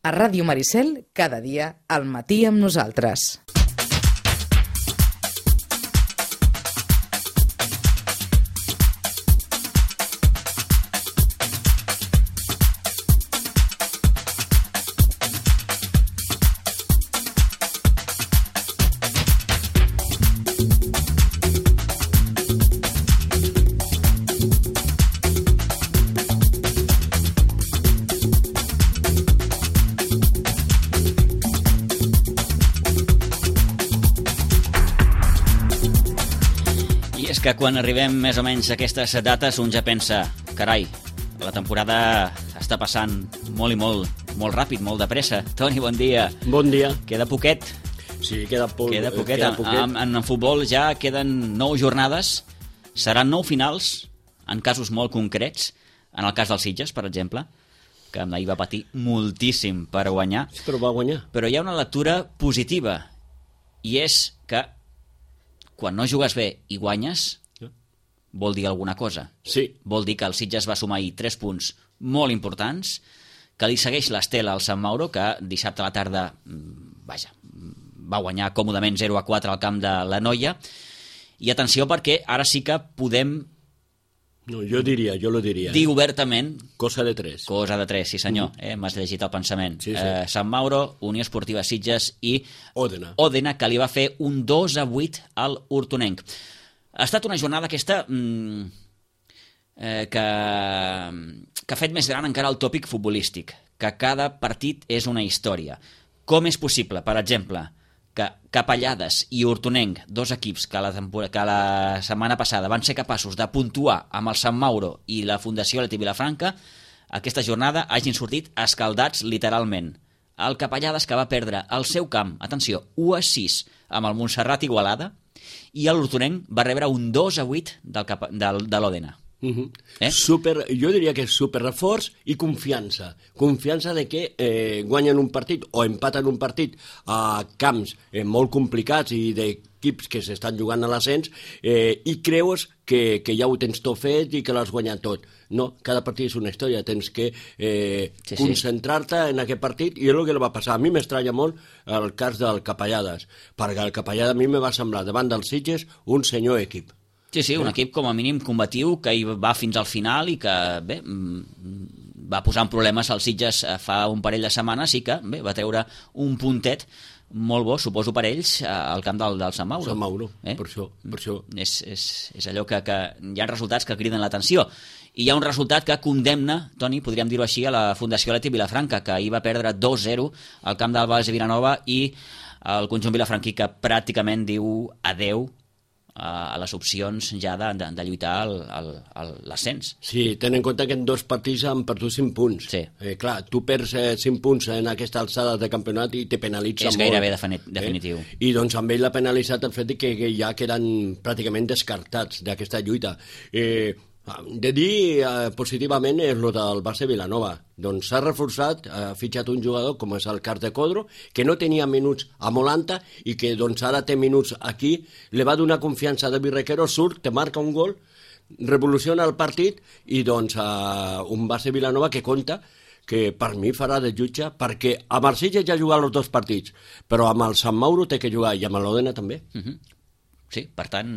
A Ràdio Maricel, cada dia, al matí amb nosaltres. Que quan arribem més o menys a aquestes dates un ja pensa, carai, la temporada està passant molt i molt ràpid, molt de pressa. Toni, bon dia. Bon dia. Queda poquet. Sí, queda poquet. En futbol ja queden 9 jornades, seran 9 finals, en casos molt concrets, en el cas dels Sitges, per exemple, que ahir va patir moltíssim per guanyar. Sí, però va guanyar. Però hi ha una lectura positiva, i és que quan no jugues bé i guanyes, vol dir alguna cosa. Sí. Vol dir que el Sitges va sumar ahir 3 punts molt importants, que li segueix l'estela al Sant Mauro, que dissabte a la tarda va guanyar còmodament 0-4 al camp de la Noia. I atenció, perquè ara sí que podem... No, jo lo diria. Dir obertament... Cosa de 3. Cosa de 3, sí senyor. M'has llegit el pensament. Sí, sí. Sant Mauro, Unió Esportiva Sitges i Òdena, que li va fer un 2-8 al Hortonenc. Ha estat una jornada aquesta que ha fet més gran encara el tòpic futbolístic, que cada partit és una història. Com és possible, per exemple, que Capellades i Hortonenc, dos equips que la setmana passada van ser capaços de puntuar amb el Sant Mauro i la Fundació Leti Vilafranca, aquesta jornada hagin sortit escaldats literalment. El Capellades, que va perdre el seu camp, atenció, 1-6 amb el Montserrat Igualada, i l'Hortonenc va rebre un 2-8 de l'Òdena. Jo diria que és super reforç i confiança de que guanyen un partit o empaten un partit a camps molt complicats i d'equips que s'estan jugant a l'ascens i creus que ja ho tens tot fet i que l'has guanyat tot. No, cada partit és una història, tens que concentrar-te en aquest partit, i és el que li va passar. A mi m'estranya molt el cas del Capellades, perquè el Capellades a mi me va semblar davant dels Sitges un senyor equip. Sí, un equip com a mínim combatiu, que hi va fins al final i que, bé, va posar en problemes als Sitges fa un parell de setmanes i que, bé, va treure un puntet molt bo, suposo per ells, al camp del Sant Mauro. Sant Mauro, per això. És allò que hi ha resultats que criden l'atenció. I hi ha un resultat que condemna, Toni, podríem dir-ho així, a la Fundació Leti Vilafranca, que ahir va perdre 2-0 al camp del Valls de Vilanova, i el conjunt vilafranquí que pràcticament diu adeu a les opcions ja de lluitar l'ascens. Sí, ten en compte que en 2 partits han perdut 5 punts. Sí. Clar, tu perds 5 punts en aquesta alçada de campionat i te penalitza molt. És gairebé definitiu. I doncs amb ell l'ha penalitzat el fet que ja queden pràcticament descartats d'aquesta lluita. De dir positivament és el del Barça Vilanova. Doncs s'ha reforçat, ha fitxat un jugador com és el Cas de Codro, que no tenia minuts a Molanta i que doncs ara té minuts aquí, li va donar confiança a David Requero, surt, te marca un gol, revoluciona el partit i doncs un Barça Vilanova que compta que per mi farà de jutge, perquè amb el Sitges ja ha jugat els 2 partits, però amb el Sant Mauro té que jugar i amb l'Òdena també. Sí, per tant,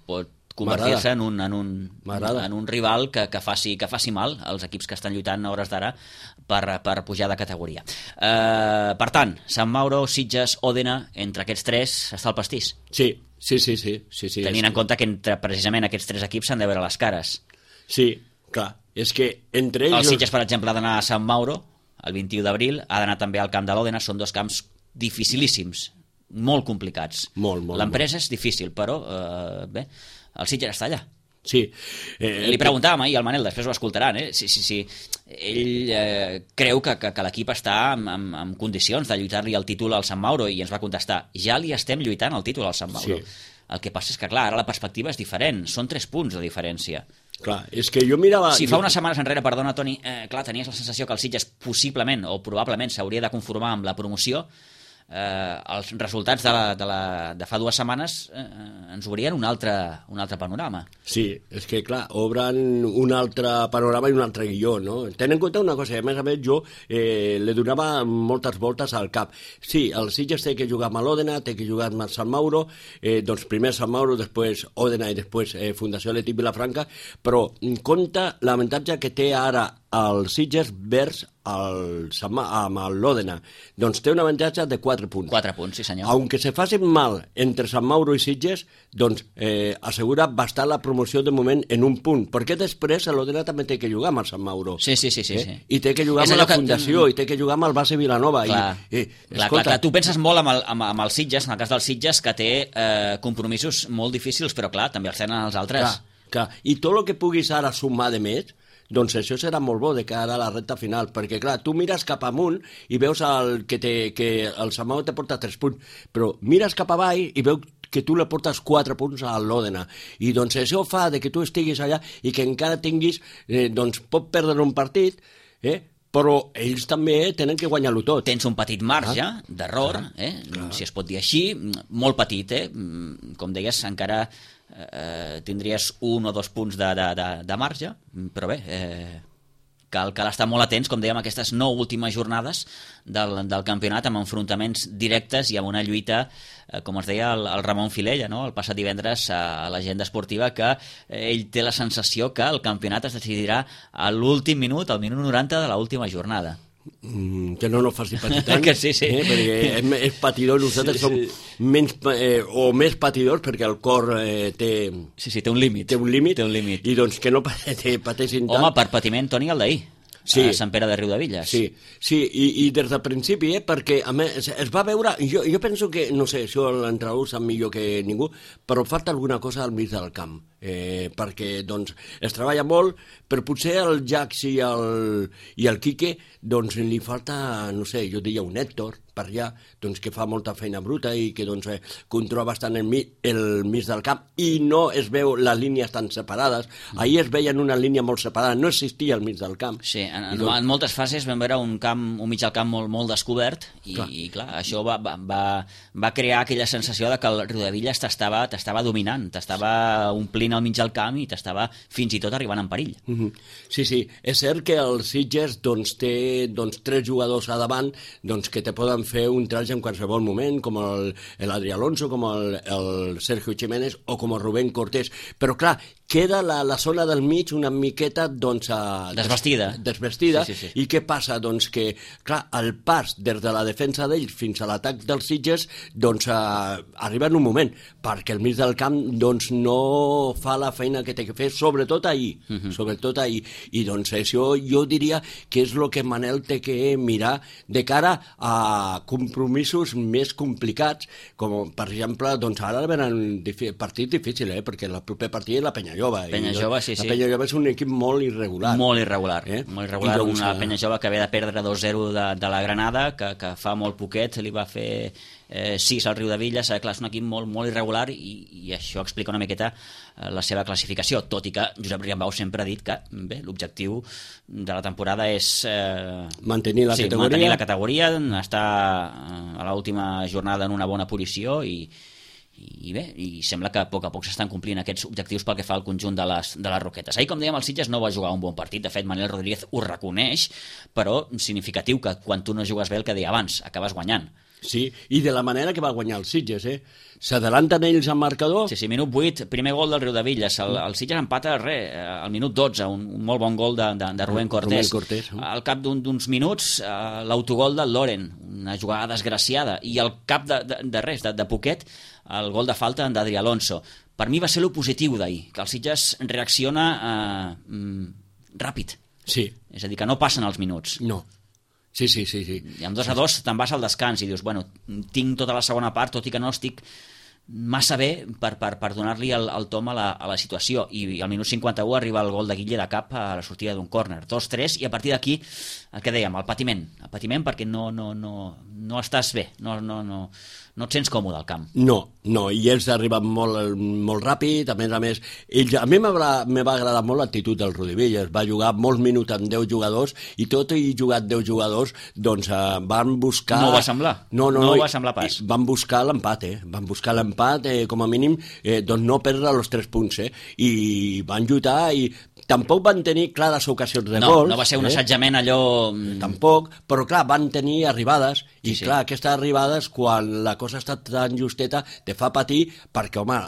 pot convertir-se en un rival que faci mal als equips que estan lluitant a hores d'ara per pujar de categoria. Per tant, Sant Mauro, Sitges, Òdena, entre aquests 3 està el pastís. Sí. Tenint en compte que entre precisament aquests 3 equips s'han de veure les cares. Sí, clar. És que entre ells... El Sitges, per exemple, ha d'anar a Sant Mauro el 21 d'abril, ha d'anar també al camp de l'Òdena, són 2 camps dificilíssims, molt complicats. L'empresa és difícil, però bé, el Sitges està allà. Sí. Li preguntàvem ahir al Manel, després ho escoltaran, si ell creu que l'equip està en condicions de lluitar-li el títol al Sant Mauro, i ens va contestar, ja li estem lluitant el títol al Sant Mauro. El que passa és que, clar, ara la perspectiva és diferent, són 3 punts de diferència. Clar, és que jo mirava... Si fa unes setmanes enrere, perdona, Toni, clar, tenies la sensació que el Sitges possiblement o probablement s'hauria de conformar amb la promoció, els resultats de fa 2 setmanes ens obrien un altre panorama. Sí, és que clar, obren un altre panorama i un altre guió, no? Ten en compte una cosa, a més jo li donava moltes voltes al cap. Sí, el Sitges té que jugar amb l'Òdena, té que jugar amb el Sant Mauro, doncs primer Sant Mauro, després Òdena i després Fundació Atlètic Vilafranca, però compta l'avantatge que té ara el Sitges vers amb l'Òdena. Doncs té un avantatge de 4 punts. 4 punts, sí senyor. Aunque se facin mal entre Sant Mauro i Sitges, doncs assegura bastar la promoció de moment en un punt, perquè després l'Òdena també té que jugar amb el Sant Mauro. Sí. I té que jugar amb la Fundació, i té que jugar amb el Base Vilanova. Clar, tu penses molt amb el Sitges, en el cas del Sitges, que té compromisos molt difícils, però clar, també els tenen els altres. Clar. I tot el que puguis ara sumar de més, doncs això serà molt bo de cara a la recta final, perquè clar, tu mires cap amunt i veus que el Sant Mauro te porta 3 punts, però mires cap avall i veus que tu le portes 4 punts a l'Òdena, i doncs això fa de que tu estiguis allà i que encara tinguis, doncs pot perdre un partit, però ells també tenen que guanyar-lo tot. Tens un petit marge d'error, si es pot dir així, molt petit, com deies, encara tindries 1 o 2 punts de marge, però bé, cal estar molt atents, com dèiem, aquestes 9 últimes jornades del campionat, amb enfrontaments directes i amb una lluita, com ens deia el Ramon Filella, no? El passat divendres a l'agenda esportiva, que ell té la sensació que el campionat es decidirà a l'últim minut, al minut 90 de l'última jornada. Que no nos faci patir tant, que sí. Perquè és patidor, nosaltres som menys o més patidors, perquè el cor té... Sí, té un límit. Té un límit, i doncs que no pateixin tant. Home, per patiment, Toni, el d'ahir. Sí. A Sant Pere de Riudevilles. Sí, i des del principi, perquè a més es va veure, jo penso que, no sé, això l'entrenador sap millor que ningú, però falta alguna cosa al mig del camp, perquè doncs es treballa molt, però potser el Jax i el Quique doncs li falta, no sé, jo diria un Héctor per allà, doncs que fa molta feina bruta i que doncs controla bastant el mig del camp i no es veu les línies tan separades. Ahir es veien una línia molt separada, no existia al mig del camp. Sí, en moltes fases vam veure un mig del camp molt descobert i clar, això va crear aquella sensació de que el Riudevilles t'estava dominant, t'estava omplint al mig del camp i t'estava fins i tot arribant en perill. Sí, és cert que el Sitges doncs, té 3 jugadors a davant doncs, que te poden fer un traig en qualsevol moment, com l'Adri Alonso, com el Sergio Jiménez o com el Rubén Cortés, però clar, queda la zona del mig una miqueta doncs, desvestida. Sí. I què passa? Doncs que, clar, el pas des de la defensa d'ells fins a l'atac dels Sitges doncs, arriba en un moment, perquè el mig del camp doncs, no fa la feina que té que fer, sobretot ahir. I doncs això jo diria que és el que Manel té que mirar de cara a compromisos més complicats, com per exemple, doncs ara venen partits difícils, perquè el proper partit és la Penyajove. Sí. La Penyajove és un equip molt irregular. Molt irregular, una Penyajove que ve de perdre 2-0 de la Granada, que fa molt poquet li va fer 6 al Riudevilles. Clar, és un equip molt irregular i això explica una miqueta la seva classificació, tot i que Josep Riambau sempre ha dit que l'objectiu de la temporada és mantenir la categoria, estar a l'última jornada en una bona posició i sembla que a poc s'estan complint aquests objectius pel que fa al conjunt de les Roquetes. Ahir, com dèiem, el Sitges no va jugar un bon partit, de fet Manel Rodríguez ho reconeix, però significatiu que quan tu no jugues bé, el que deia abans, acabes guanyant. Sí, i de la manera que va guanyar el Sitges, s'adelanten ells al marcador. Sí, minut 8, primer gol del Riudevilles, el Sitges empata al minut 12, un molt bon gol de Rubén Cortés. Al cap d'uns minuts, l'autogol del Loren, una jugada desgraciada, i al cap de poquet, el gol de falta d'Adri Alonso. Per mi va ser lo positiu d'ahir, que el Sitges reacciona ràpid. Sí. És a dir, que no passen els minuts. No. Sí. I amb 2-2 te'n vas al descans i dius, bueno, tinc tota la segona part, tot i que no estic massa bé per donar-li el tom a la situació. I al minut 51 arriba el gol de Guille de cap a la sortida d'un córner. 2-3, i a partir d'aquí, el que dèiem, el patiment perquè no no estàs bé, no et sents còmode al camp. No, i ells arriben molt ràpid, a més, a mi me va agradar molt l'actitud del Rudi Villas, va jugar molts minuts amb 10 jugadors, i tot i jugat 10 jugadors, doncs van buscar... No ho va semblar? No va semblar pas. Van buscar l'empat, com a mínim, doncs no perdre els 3 punts, i van lluitar, i tampoc van tenir clares ocasions de gols. No va ser un assajament allò... Tampoc, però clar, van tenir arribades, i clar, aquestes arribades, quan la cosa ha estat tan justeta, te fa patir, perquè, home,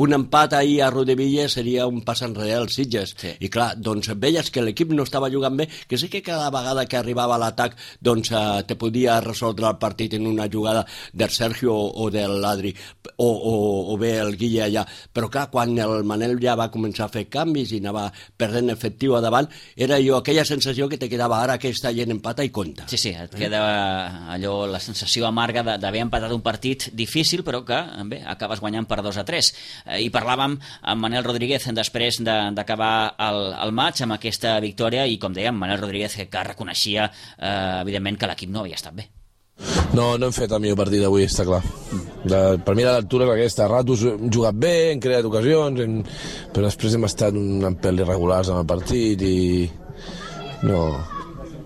un empat ahir a Rodevilla seria un pas enrere als Sitges. Sí. I clar, doncs veies que l'equip no estava jugant bé, que sí que cada vegada que arribava a l'atac doncs te podia resoldre el partit en una jugada del Sergio o de l'Adri, o bé el Guille allà. Però clar, quan el Manel ja va començar a fer canvis i anava perdent efectiu a davant, era aquella sensació que te quedava ara que està gent empata i compta. Sí, et queda allò, la sensació amarga d'haver empatat un partit difícil, però que bé, acabes guanyant per 2-3. I parlàvem amb Manel Rodríguez després d'acabar el maig amb aquesta victòria, i com dèiem, Manel Rodríguez que reconeixia evidentment que l'equip no havia estat bé. No hem fet el millor partit d'avui, està clar. Per mi la lectura és aquesta, a ratos hem jugat bé, hem creat ocasions, però després hem estat un pèl irregulars en el partit i no...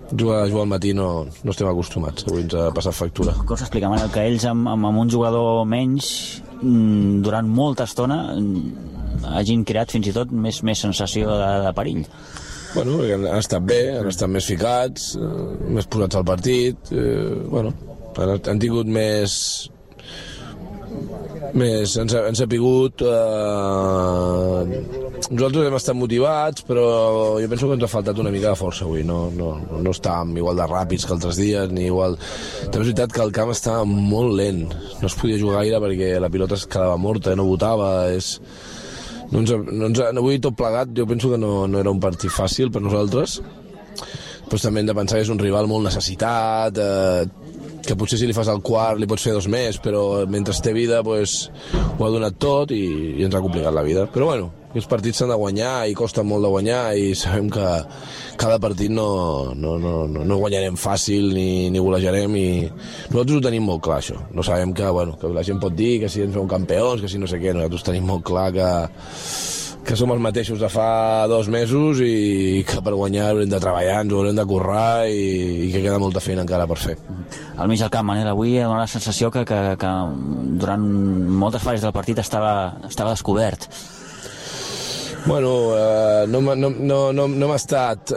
Jugar al matí no estem acostumats, avui ens ha passat factura. Com s'explica, Manel, que ells amb un jugador menys durant molta estona hagin creat fins i tot més sensació de perill? Bueno, han estat bé, han estat més ficats, més posats al partit, han tingut més ens ha pigut, nosaltres hem estat motivats, però jo penso que ens ha faltat una mica de força avui, no estàvem igual de ràpids que altres dies, ni igual. També és veritat que el camp estava molt lent, no es podia jugar gaire perquè la pilota es quedava morta, no botava, avui tot plegat jo penso que no era un partit fàcil per nosaltres, però també hem de pensar que és un rival molt necessitat, que potser si li fas el quart li pots fer 2 més, però mentre té vida pues, ho ha donat tot i ens ha complicat la vida. Però bueno, aquests partits s'han de guanyar i costen molt de guanyar i sabem que cada partit no guanyarem fàcil ni golejarem i nosaltres ho tenim molt clar, això. No sabem que la gent pot dir que si ens fem campions, que si no sé què, nosaltres tenim molt clar que som els mateixos de fa 2 mesos i que per guanyar haurem de treballar, ens haurem de currar i que queda molta feina encara per fer. Al mig del camp, Manel, avui dona la sensació que durant moltes fases del partit estava descobert. Bueno, no m'ha estat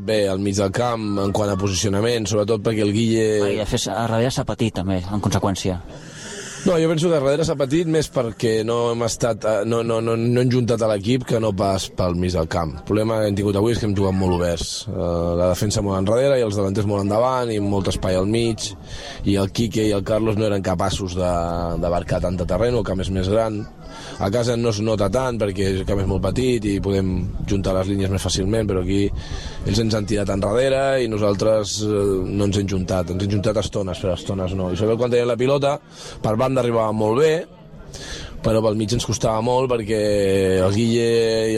bé al mig del camp en quant a posicionament, sobretot perquè el Guille... I a darrere s'ha patit també, en conseqüència. No, jo penso que darrere s'ha patit més perquè no hem juntat a l'equip que no pas pel mig del camp. El problema que hem tingut avui és que hem jugat molt oberts. La defensa molt enrere i els davanters molt endavant i molt espai al mig, i el Quique i el Carlos no eren capaços d'abarcar tant de terreny, el camp és més gran. A casa no es nota tant perquè el camp és molt petit i podem juntar les línies més fàcilment, però aquí ells ens han tirat enrere i nosaltres no ens hem juntat a estones, però a estones no. I sobretot quan teníem la pilota, per banda arribava molt bé, però pel mig ens costava molt perquè el Guille i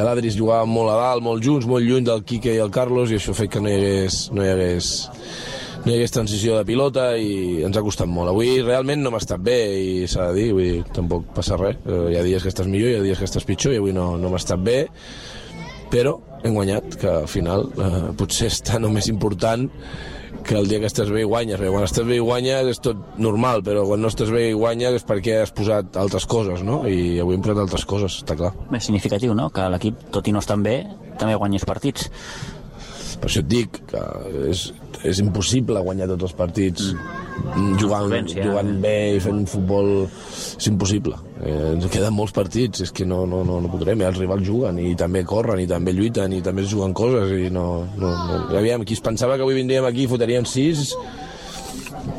l'Adri es jugaven molt a dalt, molt junts, molt lluny del Quique i el Carlos, i això ha fet que no hi hagués transició de pilota i ens ha costat molt. Avui realment no m'ha estat bé i s'ha de dir, vull dir, tampoc passa res. Hi ha dies que estàs millor, hi ha dies que estàs pitjor i avui no m'ha estat bé, però hem guanyat, que al final potser és tan o més important que el dia que estàs bé i guanyes, perquè quan estàs bé i guanyes és tot normal, però quan no estàs bé i guanyes és perquè has posat altres coses, no? I avui hem posat altres coses, està clar. És significatiu, no?, que l'equip, tot i no estar bé, també guanyés partits. Per això et dic que és impossible guanyar tots els partits jugant bé i fent futbol, és impossible. Ens queden molts partits, és que no podrem, els rivals juguen i també corren i també lluiten i també es juguen coses i aviam, qui es pensava que avui vindríem aquí i fotrien 6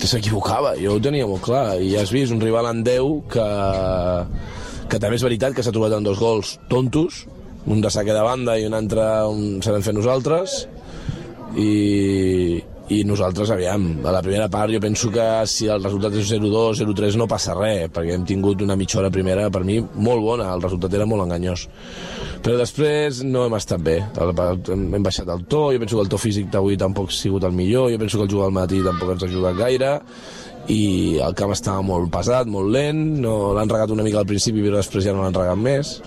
s'equivocava, jo ho tenia molt clar, i ja has vist un rival en 10 que també és veritat que s'ha trobat amb 2 gols tontos, un de saque de banda i un altre se l'hem fet nosaltres, i nosaltres, aviam, a la primera part jo penso que si el resultat és 0-2, 0-3 no passa res, perquè hem tingut una mitja hora primera per mi molt bona, el resultat era molt enganyós, Però després no hem estat bé, hem baixat el to, jo penso que el to físic d'avui tampoc ha sigut el millor, jo penso que el jugar al matí tampoc ens ha ajudat gaire, i el camp estava molt pesat, molt lent, no l'han regat una mica al principi però després ja no l'han regat més.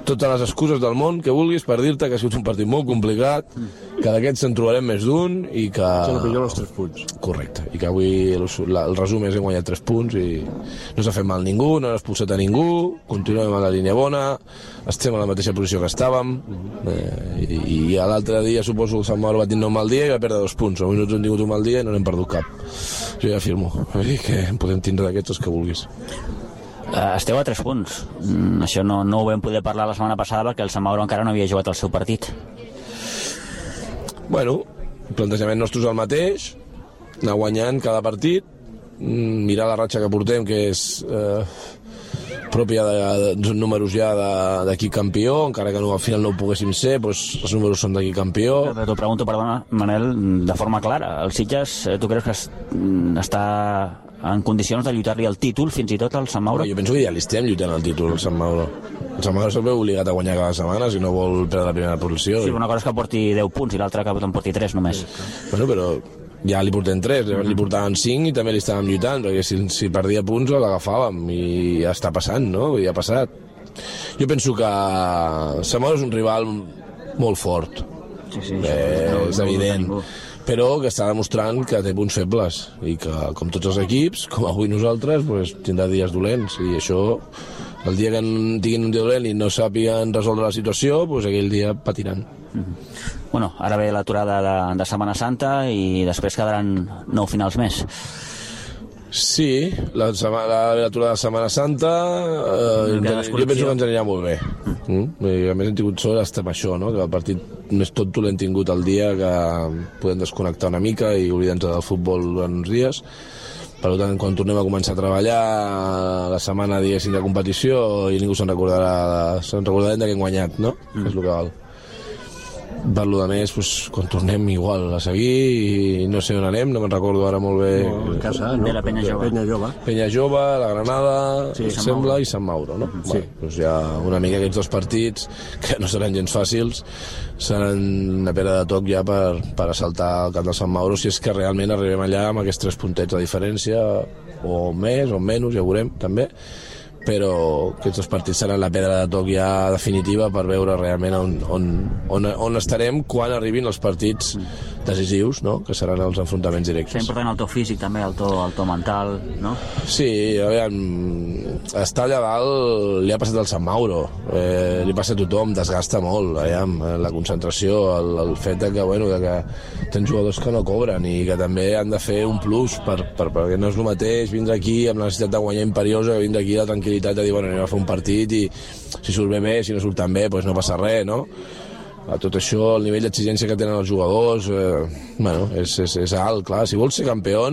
Totes les excuses del món que vulguis per dir-te que ha sigut un partit molt complicat, que d'aquests en trobarem més d'un i que... Se millor els 3 punts. Correcte, i que avui el resum és hem guanyat 3 punts i no s'ha fet mal ningú, no hem expulsat a ningú, continuem a la línia bona, estem a la mateixa posició que estàvem, i l'altre dia suposo que el Sant Mauro va tenir un mal dia i va perdre 2 punts, avui no hem tingut un mal dia i no n'hem perdut cap. Jo ja afirmo, que en podem tindre d'aquests els que vulguis. Esteu a 3 punts. Això no ho vam poder parlar la setmana passada perquè el Sant Mauro encara no havia jugat el seu partit. Bueno, el plantejament nostre és el mateix, anar guanyant cada partit, mirar la ratxa que portem, que és pròpia de números ja d'equip campió, encara que al final no ho poguéssim ser, doncs els números són d'equip campió. Però t'ho pregunto, perdona, Manel, de forma clara. El Sitges, tu creus que està en condicions de lluitar-li el títol fins i tot al Sant Mauro? Jo penso que ja li estem lluitant el títol al Sant Mauro. El Sant Mauro s'ha obligat a guanyar cada setmana si no vol perdre la primera posició. Sí, una cosa és que porti 10 punts i l'altra que en porti 3 només. Bueno, però ja li portem 3, li portaven 5 i també li estàvem lluitant, perquè si perdia punts l'agafàvem i ja està passant, no? Ja ha passat. Jo penso que Sant Mauro és un rival molt fort, Sí, és evident, però que està demostrant que té punts febles i que, com tots els equips, com avui nosaltres, pues, tindrà dies dolents, i això, el dia que tinguin un dia dolent i no sàpiguen resoldre la situació, pues, aquell dia patiran. Bueno, ara ve l'aturada de Setmana Santa i després quedaran 9 finals més. Sí, l'aturada de Setmana Santa jo penso que ens anirà molt bé. A més hem tingut sort estar amb això, no? Que el partit més tonto l'hem tingut el dia que podem desconnectar una mica i oblidar-nos del futbol durant uns dies. Per tant, quan tornem a començar a treballar la setmana, diguéssim, de competició, i ningú se'n recordarà de que hem guanyat, no? És el que val. Per lo de més, pues, quan tornem igual a seguir, i no sé on anem, no me'n recordo ara molt bé. A casa, no? De la Penya Jove. Penya Jove, la Granada, sí, sembla, i Sant Mauro, no? Sí. Bueno, doncs hi ha una mica aquests 2 partits que no seran gens fàcils, seran una pera de toc ja per assaltar el camp del Sant Mauro, si és que realment arribem allà amb aquests 3 puntets de diferència, o més o menys, ja ho veurem també, però aquests 2 partits seran la pedra de toc ja definitiva per veure realment on estarem quan arribin els partits decisius, no? Que seran els enfrontaments directes. És important el to físic també, el to mental, no? Sí, a veure, estar allà dalt li ha passat al Sant Mauro, li passa a tothom, desgasta molt, la concentració, el fet que, bueno, que tens jugadors que no cobren i que també han de fer un plus perquè no és el mateix vindre aquí amb la necessitat de guanyar imperiosa que vindre aquí la tranquil·litat de dir, bueno, anem a fer un partit i si surt bé, si no surt tan bé, doncs no passa res, no? A tot això, el nivell d'exigència que tenen els jugadors, bueno, és alt, clar. Si vols ser campió,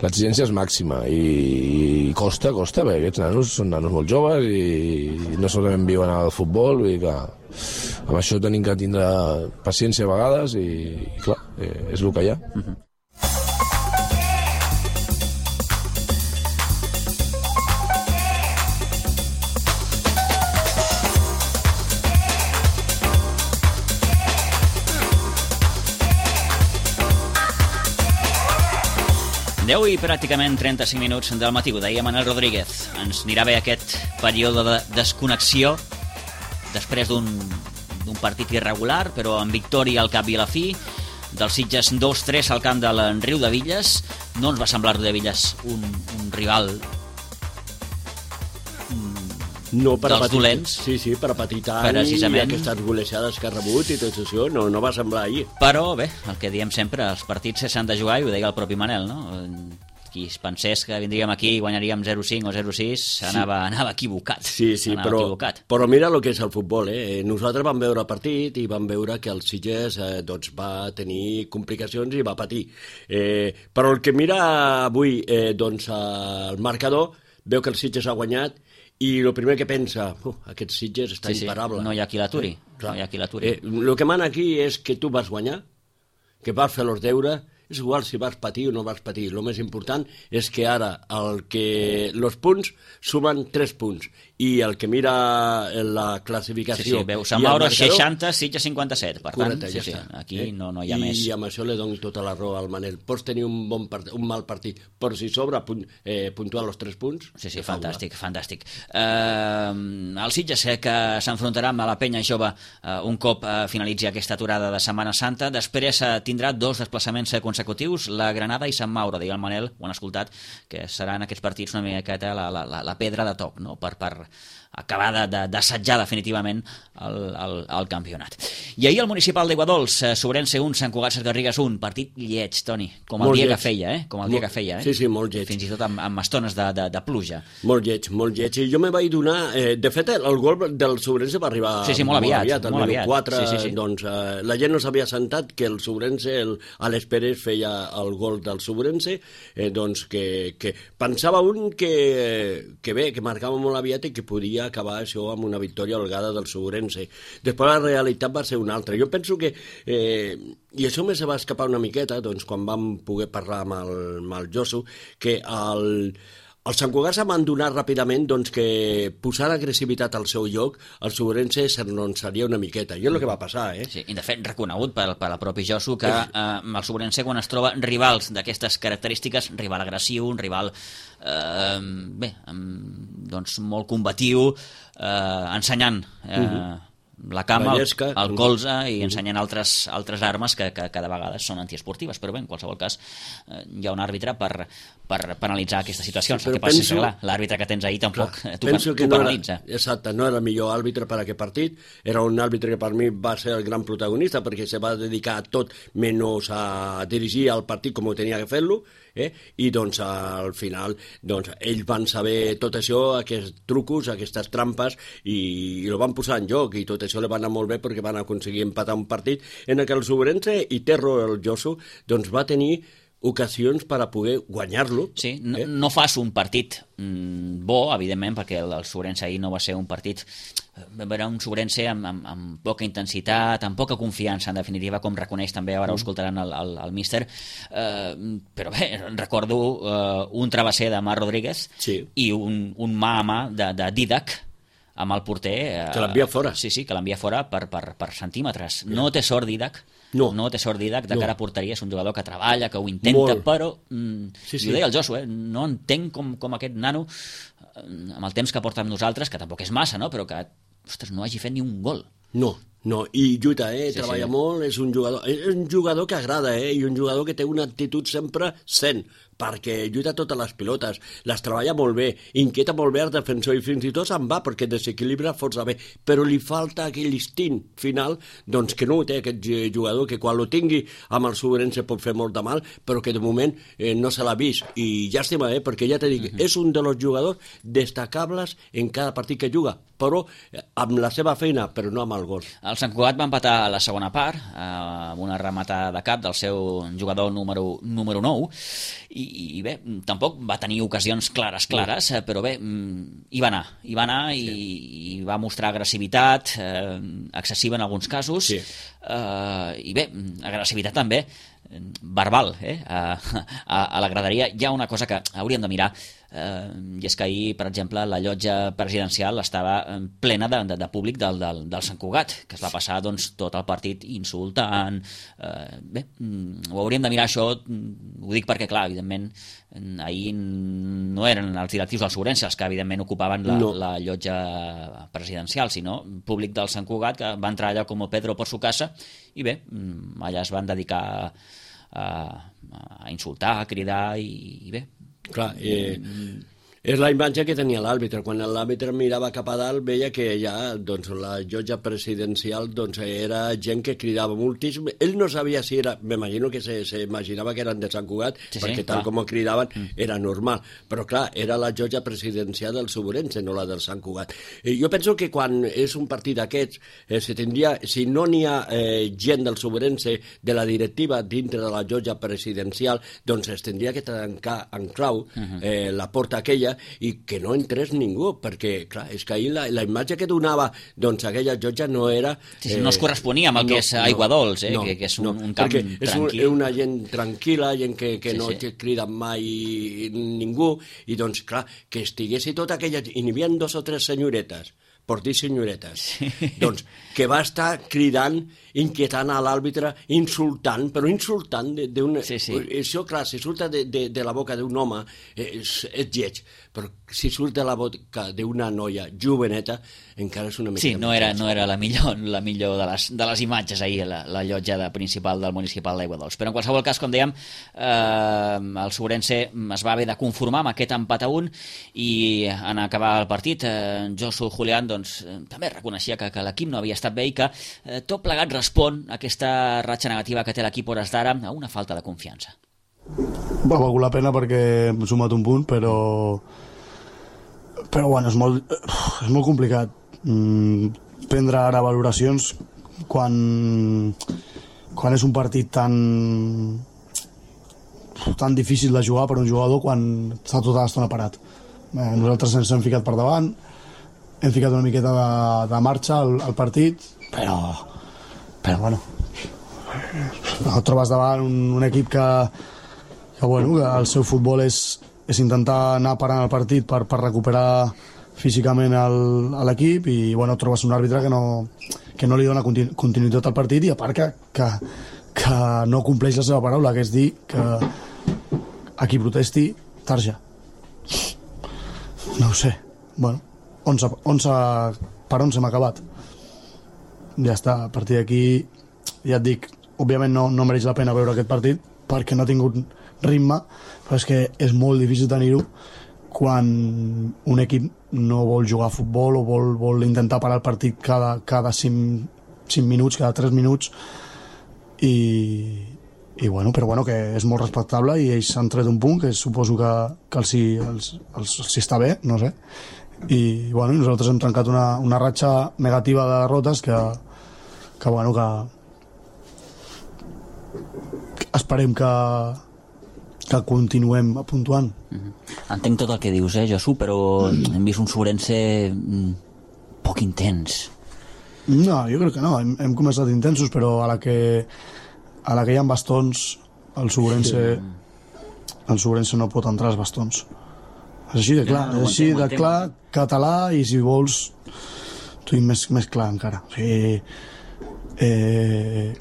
l'exigència és màxima i costa, perquè aquests nanos són nanos molt joves i no solament viuen al futbol, vull dir que amb això tenim que tindre paciència a vegades i clar, és el que hi ha. 10 i pràcticament 35 minuts del matí, ho deia Manel Rodríguez. Ens anirà bé aquest període de desconnexió després d'un partit irregular, però amb victòria al cap i a la fi, del Sitges 2-3 al camp de Riudebitlles. No ens va semblar Riudebitlles un rival no per dels dolents. Sí, per apatir tant i aquestes golejades que ha rebut i tot això, no va semblar ahir. Però bé, el que diem sempre, els partits s'han de jugar, i ho deia el propi Manel, no? Qui es pensés que vindríem aquí i guanyaríem 0-5 o 0-6 anava equivocat. Sí, però mira el que és el futbol, Nosaltres vam veure el partit i vam veure que el Sitges va tenir complicacions i va patir. Però el que mira avui el marcador, veu que el Sitges ha guanyat i el primer que pensa, aquest Sitges està imparable. No hi ha qui l'aturi. El que mana aquí és que tu vas guanyar, que vas fer els deures és igual si vas patir o no vas patir. El més important és que ara els punts sumen 3 punts i el que mira la classificació... Sí, veu, Sant Mauro 60, Sitges 57, per tant, correcte, ja aquí no hi ha més. I amb això li dono tota la raó al Manel. Pots tenir un mal partit, però si sobra puntuar els 3 punts... Sí, fantàstic. El Sitges que s'enfrontarà amb la Penya Jove un cop finalitzi aquesta aturada de Setmana Santa. Després tindrà 2 desplaçaments consecutius, la Granada i Sant Mauro. Deia el Manel, ho han escoltat, que seran aquests partits una miqueta la pedra de toc, no? per acabar d'assetjar definitivament el campionat. I ahir el municipal d'Aiguadols, Sobrense 1, Sant Cugat Sesgarrigues 1, partit lleig, Toni, com el dia que feia, Sí, molt lleig. Fins i tot amb estones de pluja. Molt lleig. I jo me vaig donar... de fet, el gol del Sobrense va arribar molt aviat. Al minut 4, doncs la gent no s'havia sentat que el Sobrense, Alex Pérez feia el gol del Sobrense, doncs que pensava un que bé, que marcava molt aviat i que podia acabar això amb una victòria holgada del Sobrense. Després la realitat va ser una altra. Jo penso que, i això me se va escapar una miqueta, doncs quan vam poder parlar amb el Josu, que el Sant Cugat s'ha abandonat ràpidament doncs, que posant agressivitat al seu lloc, el Sobrense s'enronsaria una miqueta. I és el que va passar, Sí, i de fet reconegut per la propi Josu que el Sobrense, quan es troba rivals d'aquestes característiques, rival agressiu, un rival doncs molt combatiu, ensenyant la cama, el colze i ensenyant altres armes que de vegades són antiesportives, però bé, en qualsevol cas hi ha un àrbitre per analitzar aquestes situacions. El que passa és que l'àrbitre que tens ahir tampoc t'ho penalitza. Exacte, no era el millor àrbitre per a aquest partit, era un àrbitre que per mi va ser el gran protagonista perquè se va dedicar a tot menys a dirigir el partit com ho tenia que fer-lo, i doncs al final ells van saber tot això, aquests trucos, aquestes trampes, i el van posar en joc, i tot això li va anar molt bé perquè van aconseguir empatar un partit en què el Sobrense i Terro, el Josu, doncs va tenir ocasions per a poder guanyar-lo. Sí, no fas un partit bo, evidentment, perquè el Sobrense ahir no va ser un partit... Era un Sobrense amb poca intensitat, amb poca confiança, en definitiva, com reconeix també, ara ho escoltaran el míster, però bé, recordo un travesser de Marc Rodríguez i un mà a mà de Didac amb el porter... Que l'envia fora. Sí, que l'envia fora per centímetres. No té sort Didac, no té sort Didac de cara a porteria, és un jugador que treballa, que ho intenta, però ho deia el Josu, no entenc com aquest nano, amb el temps que porta amb nosaltres, que tampoc és massa, no? Però que no hagi fet ni un gol. No, i lluita, treballa molt, és un jugador que agrada, i un jugador que té una actitud sempre sent, perquè lluita totes les pilotes, les treballa molt bé, inquieta molt bé el defensor i fins i tot se'n va perquè desequilibra força bé, però li falta aquell instint final, doncs que no ho té aquest jugador, que quan lo tingui amb el Sobrense pot fer molt de mal, però que de moment no se l'ha vist, i llàstima, perquè ja t'he dit, és un dels jugadors destacables en cada partit que juga, però amb la seva feina, però no amb el gol. El Sant Cugat va empatar a la segona part amb una rematada de cap del seu jugador número 9 i bé, tampoc va tenir ocasions clares, però bé, hi va anar i va mostrar agressivitat excessiva en alguns casos i bé, agressivitat també verbal, a la graderia. Hi ha una cosa que hauríem de mirar, i és que ahir, per exemple, la llotja presidencial estava plena de públic del Sant Cugat, que es va passar doncs, tot el partit insultant. Bé, ho hauríem de mirar això, ho dic perquè, clar, evidentment, ahir no eren els directius del Sobrense els que, evidentment, ocupaven la llotja presidencial, sinó públic del Sant Cugat, que va entrar allà com Pedro por su casa, i bé, allà es van dedicar a insultar, a cridar, i bé. Clar, és la imatge que tenia l'àrbitre. Quan l'àrbitre mirava cap a dalt veia que ja doncs, la llotja presidencial doncs, era gent que cridava moltíssim. Ell no sabia si era... M'imagino que s'imaginava que eren de Sant Cugat, perquè tal com ho cridaven era normal. Però clar, era la llotja presidencial del Sobrense, no la del Sant Cugat. Jo penso que quan és un partit d'aquests, si no n'hi ha gent del Sobrense, de la directiva dintre de la llotja presidencial, doncs es tindria que tancar en clau la porta aquella i que no entrés ningú, perquè, clar, és que ahir la imatge que donava doncs aquella Llotja no era... Sí, no es corresponia amb el que és Aiguadols, que és un camp tranquil. És una gent tranquil·la, gent que no crida mai ningú, i doncs, clar, que estiguessi tota aquella... I n'hi havia 2 o 3 senyoretes, per dir senyoretes, doncs, que va estar cridant, inquietant a l'àrbitre, insultant, però insultant d'una... Això, clar, si surta de la boca d'un home, és lleig, però si surt de la boca d'una noia joveneta, encara és una mica... Sí, no era la millor de les imatges ahir, la llotja principal del municipal d'Aiguadols. Però en qualsevol cas, com dèiem, el Sobrense es va haver de conformar amb aquest empat a 1 i en acabar el partit, Josu Julián també reconeixia que l'equip no havia estat bé i que tot plegat respon a aquesta ratxa negativa que té l'equip hores d'ara a una falta de confiança. Va valer la pena perquè hem sumat un punt, però bueno, és molt complicat prendre ara valoracions quan és un partit tan difícil de jugar per un jugador quan està tota l'estona parat. Nosaltres ens hem ficat per davant, hem ficat una miqueta de marxa al partit, però bueno, et trobes davant un equip que el seu futbol és intentar anar parant el partit per recuperar físicament l'equip, i et trobes un àrbitre que no li dona continuïtat al partit, i a part que no compleix la seva paraula, que és dir que a qui protesti, tarja. No ho sé, per on s'hem acabat? Ja està, a partir d'aquí, ja et dic, òbviament no mereix la pena veure aquest partit perquè no ha tingut ritme, però és que és molt difícil tenir-ho quan un equip no vol jugar a futbol o vol intentar parar el partit cada 5 minuts, cada 3 minuts, però que és molt respectable, i ells s'han tret un punt que suposo que els està bé, no sé, i nosaltres hem trencat una ratxa negativa de derrotes que esperem que continuem puntuant. Entenc tot el que dius, Josu, però hem vist un Sobrense poc intens. No, jo crec que no, hem començat intensos, però a la que hi ha bastons, el Sobrense no pot entrar als bastons. És així de clar, català, i si vols t'ho dic més clar encara. O sigui,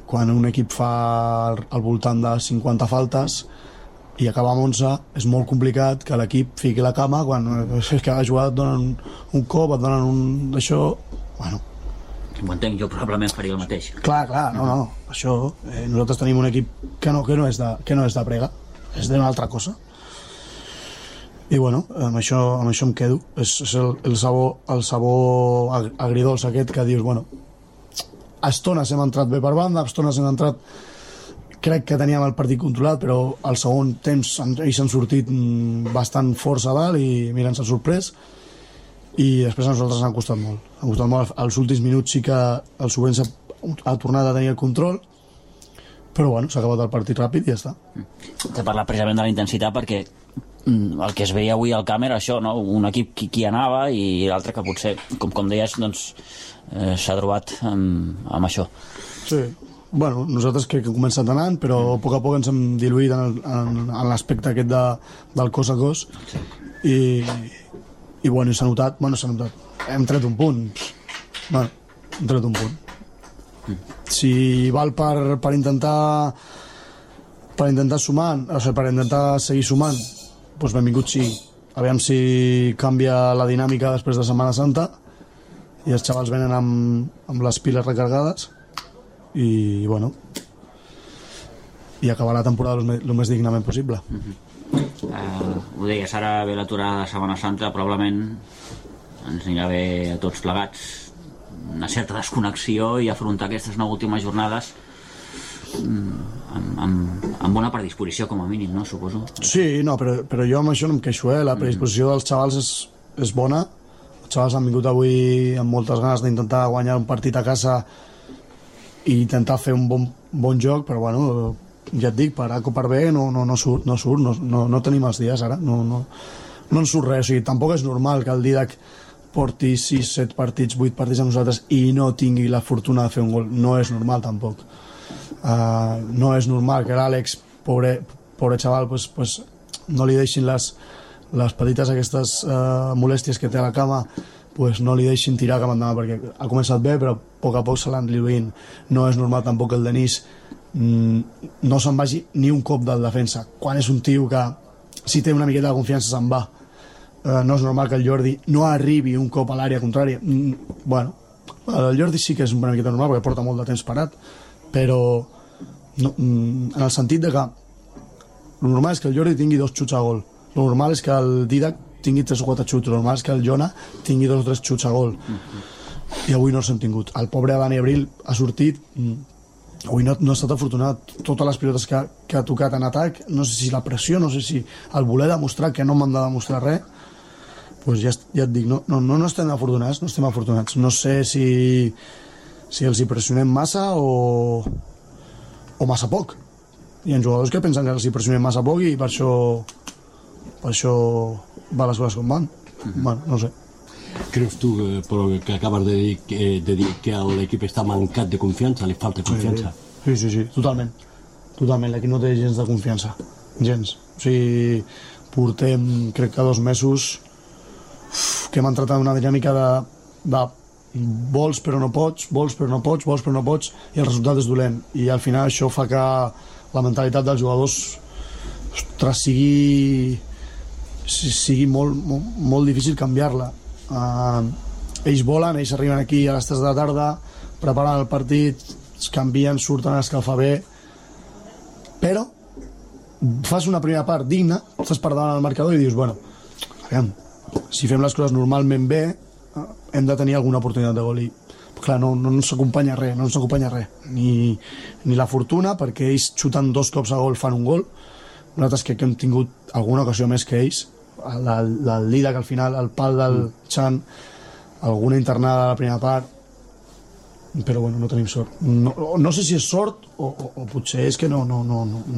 quan un equip fa al voltant de 50 faltes i acaba amb 11, és molt complicat que l'equip fiqui la cama quan cada jugada et donen un cop, et donen un d'això. Ho entenc, jo probablement faria el mateix. Clar, no, això, nosaltres tenim un equip que no és de prega, és d'una altra cosa. I amb això em quedo. És el sabor agridolç aquest que dius, a estones hem entrat bé per banda, a estones hem entrat, crec que teníem el partit controlat, però al segon temps ells han sortit bastant força a dalt i mira, ens han sorprès, i després a nosaltres han costat molt. Als últims minuts sí que el Sobrense ha tornat a tenir el control, però s'ha acabat el partit ràpid i ja està. T'he parlat precisament de la intensitat perquè el que es veia avui al camp era això, no? Un equip qui anava i l'altre que potser, com deies, s'ha trobat amb això. Sí, nosaltres crec que hem començat anant, però a poc ens hem diluït en l'aspecte aquest del cos a cos, i s'ha notat, hem tret un punt. Hem tret un punt. Si val per intentar sumar, o sigui, per intentar seguir sumant, doncs benvingut sí. Aviam si canvia la dinàmica després de Setmana Santa i els xavals venen amb les piles recargades i acabar la temporada el més dignament possible. Ho deies, ara ve l'aturada de Setmana Santa, probablement ens anirà bé a tots plegats una certa desconnexió i afrontar aquestes 9 últimes jornades amb bona predisposició, com a mínim, no? Suposo. Sí, no, però jo amb això no em queixo, la predisposició dels xavals és bona. Els xavals han vingut avui amb moltes ganes d'intentar guanyar un partit a casa i intentar fer un bon joc, però ja et dic, per A o per B no surt, no tenim els dies ara, no no en surt res, o sigui, tampoc és normal que el Didac porti 6, 7 partits, 8 partits amb nosaltres i no tingui la fortuna de fer un gol. No és normal tampoc. No és normal que l'Àlex, pobre xaval, pues, no li deixin les petites aquestes molèsties que té a la cama, pues no li deixin tirar cap endavant, perquè ha començat bé però a poc se l'han diluint. No és normal tampoc que el Denis no se'n vagi ni un cop del defensa, quan és un tio que si té una miqueta de confiança se'n va. No és normal que el Jordi no arribi un cop a l'àrea contrària. Bueno, el Jordi sí que és una miqueta normal perquè porta molt de temps parat, però no, en el sentit de que el normal és que el Jordi tingui 2 xuts a gol, el normal és que el Didac tingui 3 o 4 xuts, el normal és que el Jona tingui 2 o 3 xuts a gol, i avui no els hem tingut. El pobre Dani Abril ha sortit, avui no ha estat afortunat. Totes les pilotes que ha tocat en atac, no sé si la pressió, no sé si el voler demostrar que no m'han de demostrar res, pues ja et dic, no estem afortunats, no sé si els hi pressionem massa o massa poc. Hi ha jugadors que pensen que els hi pressionem massa poc i per això va les coses com van. Bueno, no sé. Creus tu, però que acabes de dir que l'equip està mancat de confiança, li falta confiança? Sí, totalment. L'equip no té gens de confiança. Gens. O sigui, portem, crec que 2 mesos que hem entrat en una dinàmica de vols però no pots, i el resultat és dolent. I al final això fa que la mentalitat dels jugadors, ostres, sigui molt difícil canviar-la. Ells volen, ells arriben aquí a les 3 de la tarda, preparen el partit, es canvien, surten a escalfar bé, però fas una primera part digna, estàs per davant al marcador i dius, bueno, aviam, si fem les coses normalment bé, hem de tenir alguna oportunitat de gol. I clar, no ens acompanya res, ni la fortuna, perquè ells xuten 2 cops a gol, fan un gol. Nosaltres crec que hem tingut alguna ocasió més que ells, el Didac al final, el pal del Chan, alguna internada a la primera part, però bueno, no tenim sort. No sé si és sort o potser és que no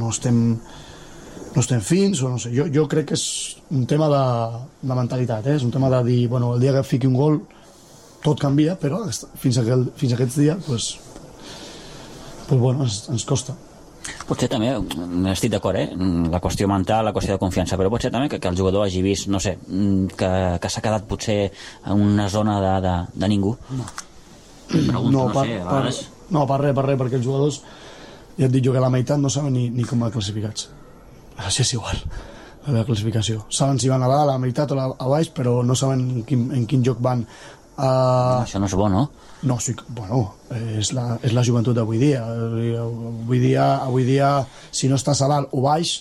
estem fins, o no sé. Jo crec que és un tema de mentalitat, és un tema de dir, bueno, el dia que fiqui un gol tot canvia, però fins aquests dies pues bueno, ens costa. Potser també, estic d'acord, la qüestió mental, la qüestió de confiança, però potser també que el jugador hagi vist, no sé, que s'ha quedat potser en una zona de ningú. No, per res, perquè els jugadors, ja et dic jo que la meitat no saben ni com van classificats. Així és igual, la classificació. Saben si van a dalt, a la meitat o a baix, però no saben en quin joc van. Això no és bo, no? No, sí, bueno, és la joventut d'avui dia. Avui dia, si no estàs a dalt o baix,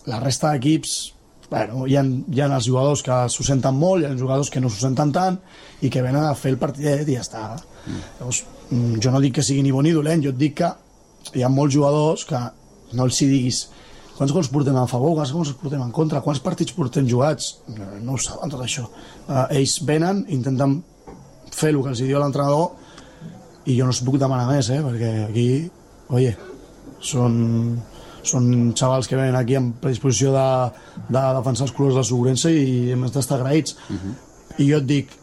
la resta d'equips, bueno, hi ha els jugadors que s'ho senten molt, hi ha jugadors que no s'ho senten tant i que venen a fer el partidet i ja està. Llavors, jo no dic que sigui ni bo ni dolent, jo et dic que hi ha molts jugadors que no els hi diguis quants gols portem a favor, quants gols portem en contra, quants partits portem jugats, no ho saben tot això. Ells venen, intenten fer el que els diu l'entrenador i jo no els puc demanar més, perquè aquí, oye, són xavals que venen aquí amb predisposició de defensar els colors del Segurense i hem d'estar agraïts. I jo et dic,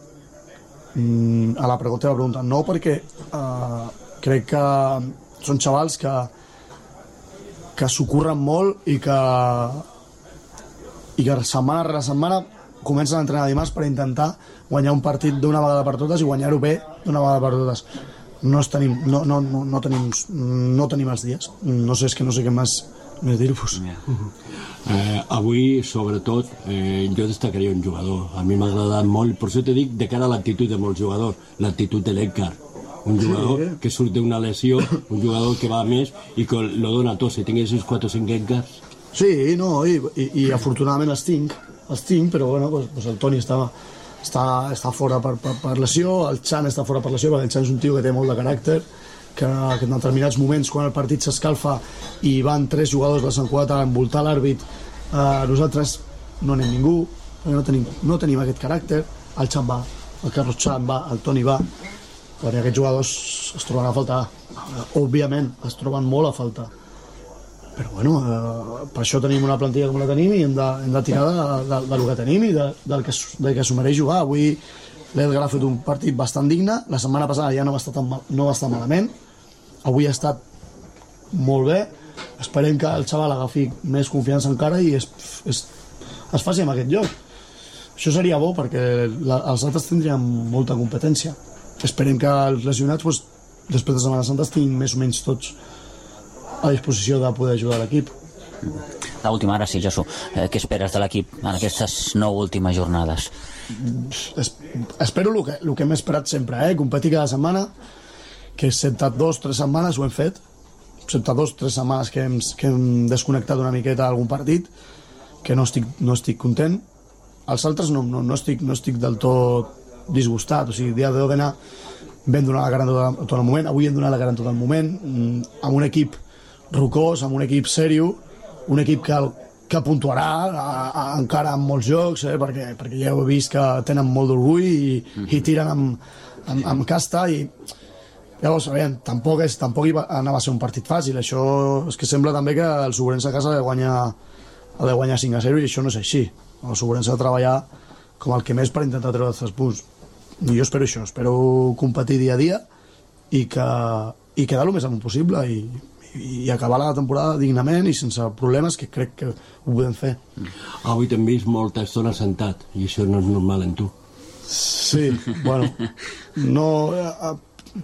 a la pregunta, no, perquè crec que són xavals que s'ho curren molt i que setmana rere setmana comencen a entrenar dimarts per intentar guanyar un partit d'una vegada per totes i guanyar-ho bé d'una vegada per totes. No tenim els dies. No sé què més dir-vos. Avui, sobretot, jo destacaria un jugador. A mi m'ha agradat molt, per això te dic, de cara a l'actitud de molts jugadors, l'actitud de l'Edgar. Un jugador que surt d'una lesió, un jugador que va a més i que lo dona tot. Si tinguessis 4 o 5 Edgars... Sí, no, i afortunadament els tinc, però bueno, pues el Toni està fora per lesió, el Chan està fora per lesió, perquè el Chan és un tio que té molt de caràcter, que en determinats moments, quan el partit s'escalfa i van 3 jugadors de Sant Cugat a envoltar l'àrbit, nosaltres no anem ningú, no tenim aquest caràcter. El Chan va, el Carlos Chan va, el Toni va, perquè aquests jugadors es troben a faltar. Òbviament, es troben molt a faltar. però bueno, per això tenim una plantilla com la tenim i hem de tirar del que tenim i del que s'ho mereix jugar. Avui l'Edgar ha fet un partit bastant digne, la setmana passada ja no va estar malament, avui ha estat molt bé, esperem que el xaval agafi més confiança encara i es faci amb aquest lloc. Això seria bo perquè els altres tindrien molta competència. Esperem que els lesionats després de Setmana Santa estiguin més o menys tots a disposició de poder ajudar l'equip. L'última, ara sí, Josu, què esperes de l'equip en aquestes 9 últimes jornades? Espero el que hem esperat sempre, competir cada setmana, que excepte 2-3 setmanes ho hem fet, excepte 2-3 setmanes que hem desconnectat una miqueta d'algun partit, que no estic content. Els altres no estic del tot disgustat, o sigui, el dia de Òdena vam donar la cara tot el moment, avui hem donat la cara tot el moment, amb un equip rocós, amb un equip sèrio, un equip que puntuarà encara en molts jocs, perquè ja heu vist que tenen molt d'orgull i tiren amb casta i llavors, tampoc anava a ser un partit fàcil. Això és que sembla també que el Sobrense a casa ha de guanyar 5-0 i això no és així. El Sobrense ha de treballar com el que més per intentar treure els 3 punts. I jo espero això, espero competir dia a dia i quedar el més amunt possible i acabar la temporada dignament i sense problemes, que crec que ho podem fer. Avui t'hem vist molta estona sentat i això no és normal en tu. Sí, bueno, a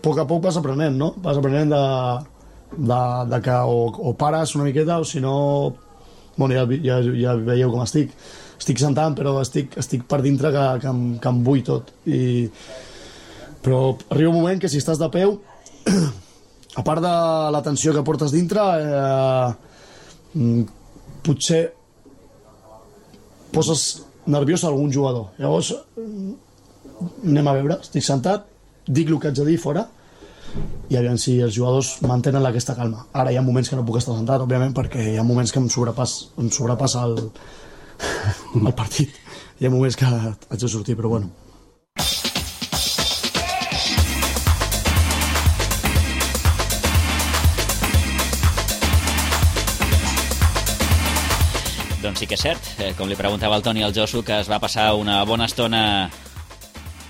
poc a poc vas aprenent, no? Vas aprenent de que o pares una miqueta o si no, bueno, ja veieu com estic sentant, però estic per dintre que em vull tot. Però arriba un moment que si estàs de peu, a part de la tensió que portes dintre, potser poses nerviós a algun jugador. Llavors anem a veure, estic sentat, dic el que haig de dir fora i aviam si els jugadors mantenen aquesta calma. Ara hi ha moments que no puc estar sentat, òbviament, perquè hi ha moments que em sobrepassa el partit. Hi ha moments que haig de sortir, però bueno. Doncs sí que és cert, com li preguntava el Toni al Josu, que es va passar una bona estona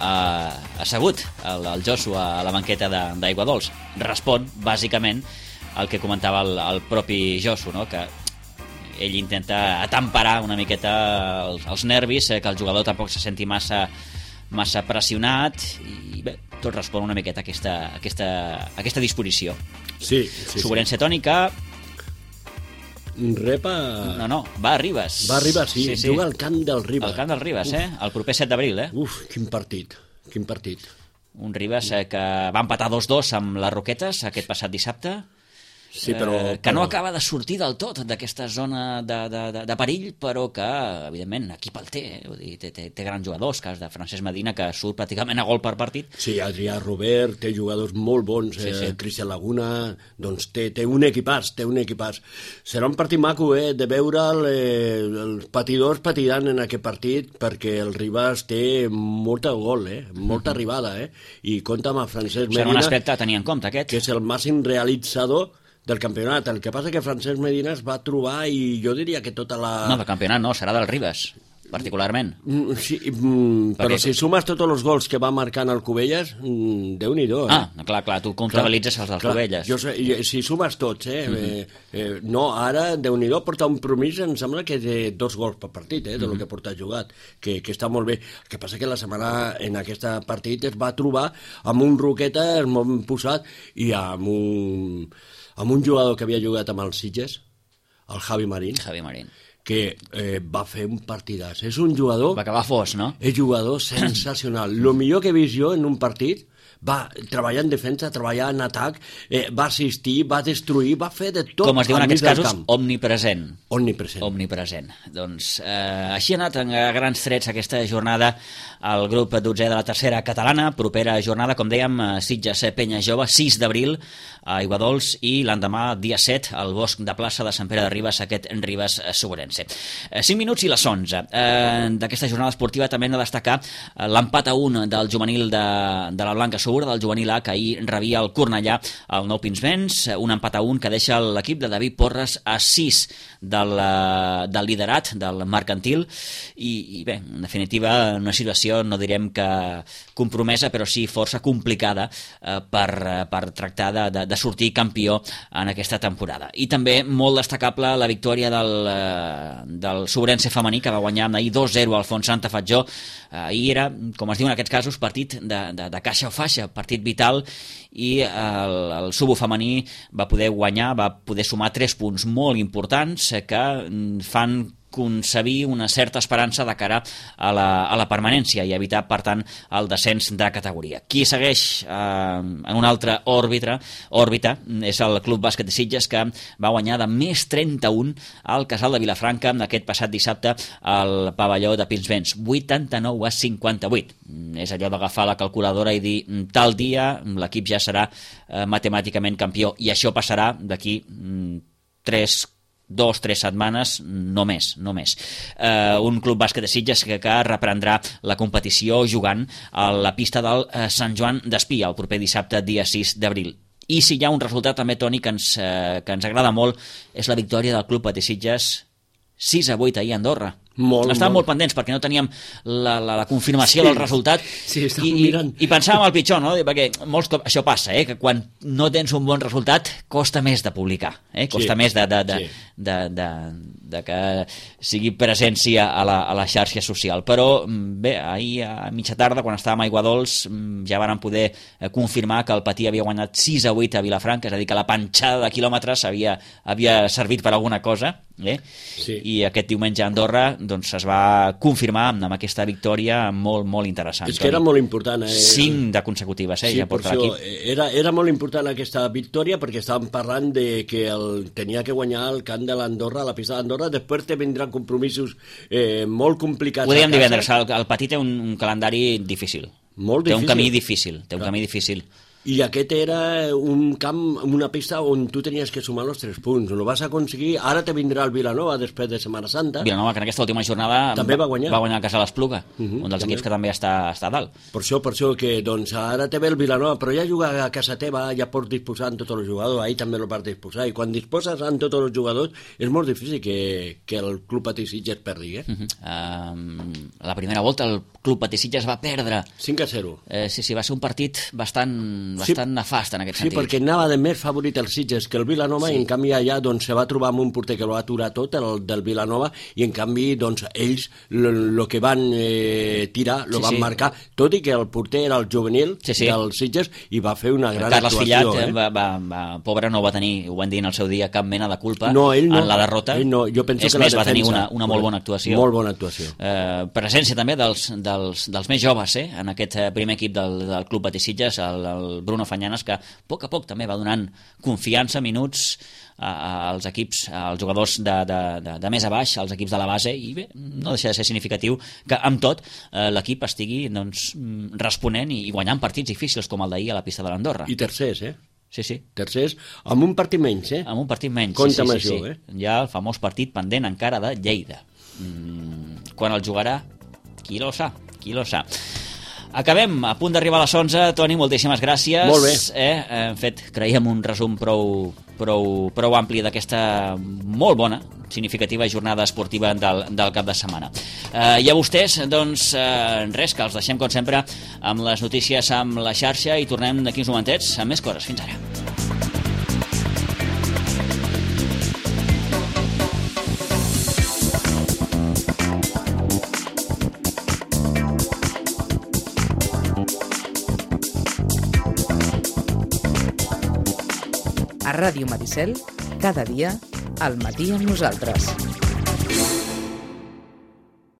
assegut el Josu a la banqueta d'Aiguadols. Respon, bàsicament, al que comentava el propi Josu, no? Que ell intenta atemperar una miqueta els nervis, que el jugador tampoc se senti massa pressionat i bé, tot respon una miqueta a aquesta disposició. Sí. Sobrense tònica. Repa... No, va a Ribes. Va a Ribes, sí. Juga al camp del Ribes. Al camp del Ribes, el proper 7 d'abril, Uf, quin partit. Un Ribes que va empatar 2-2 amb les Roquetes aquest passat dissabte. Sí, que no acaba de sortir del tot d'aquesta zona de perill, però que, evidentment, equip el té. Vull dir, té grans jugadors, cas de Francesc Medina, que surt pràcticament a gol per partit. Sí, Adrià Robert, té jugadors molt bons, Cristian Laguna, doncs té un equipàs, Serà un partit maco, de veure els patidors patiran en aquest partit, perquè el Ribas té molta gol, molta arribada, i compta amb Francesc Medina. Serà un aspecte a tenir en compte, aquest. Que és el màxim realitzador del campionat. El que passa que Francesc Medina es va trobar, i jo diria que tota la... No, del campionat no, serà del Ribes, particularment. Sí, però si sumes tots els gols que va marcant el Cubelles, Déu-n'hi-do. Clar, tu comptabilitzes els del Cubelles. Si sumes tots, no, ara Déu-n'hi-do porta un promís, em sembla que té 2 gols per partit, del que porta jugat, que està molt bé. El que passa que la setmana en aquest partit es va trobar amb un Roquetes molt posat i amb un jugador que havia jugat amb els Sitges, el Javi Marín, que va fer un partidàs. És un jugador... Va acabar fos, no? És jugador sensacional. Lo millor que he vist jo en un partit, va treballar en defensa, treballar en atac, va assistir, va destruir, va fer de tot. Com es diu en aquests casos, omnipresent. Omnipresent. Doncs així ha anat en grans trets aquesta jornada al grup 12è de la tercera catalana. Propera jornada, com dèiem, Sitges Penya Jove, 6 d'abril a Aiguadols, i l'endemà, dia 7, al Bosc de Plaça de Sant Pere de Ribes, aquest Ribes Sobrense. 5 minuts i les 11. D'aquesta jornada esportiva també hem de destacar l'empat a 1 del juvenil de la Blanca Sub segura del juvenil A, que ahir rebia el Cornellà al Nou Pinsbens, un empat a 1 que deixa l'equip de David Porres a 6 del liderat del mercantil i bé, en definitiva una situació no direm que compromesa però sí força complicada per tractar de sortir campió en aquesta temporada. I també molt destacable la victòria del Sobrense femení, que va guanyar ahir 2-0 al Font Santa Fatjó. Ahir era, com es diu en aquests casos, partit de caixa o faixa, partit vital, i el Subo femení va poder guanyar, va poder sumar 3 punts molt importants que fan concebir una certa esperança de cara a la permanència i evitar, per tant, el descens de categoria. Qui segueix en una altra òrbita és el Club Bàsquet de Sitges, que va guanyar de més 31 al Casal de Vilafranca aquest passat dissabte al pavelló de Pinsbens, 89-58. És allò d'agafar la calculadora i dir tal dia l'equip ja serà matemàticament campió, i això passarà d'aquí 2-3 setmanes, no més. Un Club Bàsquet de Sitges que reprendrà la competició jugant a la pista del Sant Joan d'Espí el proper dissabte, dia 6 d'abril. I si hi ha un resultat també, Toni, que ens agrada molt, és la victòria del Club Patí Sitges 6-8 ahir a Andorra. Estàvem molt pendents perquè no teníem la confirmació del resultat, i pensàvem el pitjor, no? Perquè molts cops això passa, que quan no tens un bon resultat costa més de publicar, costa més de que sigui presència a la xarxa social. Però bé, ahir a mitja tarda, quan estàvem a Aiguadols, ja vàrem poder confirmar que el Patí havia guanyat 6-8 a Vilafranca, és a dir, que la panxada de quilòmetres havia servit per alguna cosa, i aquest diumenge a Andorra doncs es va confirmar amb aquesta victòria molt, molt interessant. És que era molt important. 5 de consecutives, ja porta l'equip. Era molt important aquesta victòria perquè estàvem parlant de que tenia que guanyar el camp de l'Andorra, la pista d'Andorra, després te vindran compromisos molt complicats. Ho dèiem divendres, el Patí té un calendari difícil. Molt difícil. Té un camí difícil. I aquest era un camp, una pista on tu tenies que sumar els 3 punts. Ho vas aconseguir. Ara te vindrà el Vilanova després de Setmana Santa. Vilanova, que en aquesta última jornada també va guanyar el Casal Espluga, un dels equips que també està a dalt. Per això que doncs, ara te ve el Vilanova, però ja juga a casa teva, ja pots disposar amb tots els jugadors, ahir també lo pots disposar, i quan disposes amb tots els jugadors és molt difícil que el Club Patí Sitges perdi. La primera volta el Club Patí Sitges va perdre 5-0. Sí, va ser un partit bastant nefast en aquest sentit. Sí, perquè anava de més favorit el Sitges que el Vilanova, i en canvi allà doncs, se va trobar amb un porter que lo va aturar tot, el del Vilanova, i en canvi doncs, ells el que van tirar lo van marcar, tot i que el porter era el juvenil del Sitges i va fer una gran actuació. Carles Fillat, pobre, no va tenir, ho van dir en el seu dia, cap mena de culpa en la derrota. Jo penso és que més, va tenir una molt bona actuació. Molt bona actuació. Presència també dels més joves en aquest primer equip del Club Patí Sitges, el Bruno Fanyanes, que a poc també va donant confiança, minuts als equips, als jugadors de més a baix, als equips de la base, i bé, no deixa de ser significatiu que amb tot l'equip estigui responent i guanyant partits difícils com el d'ahir a la pista de l'Andorra. I tercers, Sí. Tercers, amb un partit menys, Amb un partit menys, compte amb això, Hi ha el famós partit pendent encara de Lleida. Quan el jugarà, qui lo sa. Acabem, a punt d'arribar a les 11. Toni, moltíssimes gràcies. Molt bé. Hem fet, creiem, un resum prou ampli d'aquesta molt bona, significativa jornada esportiva del cap de setmana. I a vostès, doncs, res, que els deixem, com sempre, amb les notícies amb la xarxa, i tornem d'aquí uns momentets amb més coses. Fins ara. A Ràdio Maricel, cada dia, al matí amb nosaltres.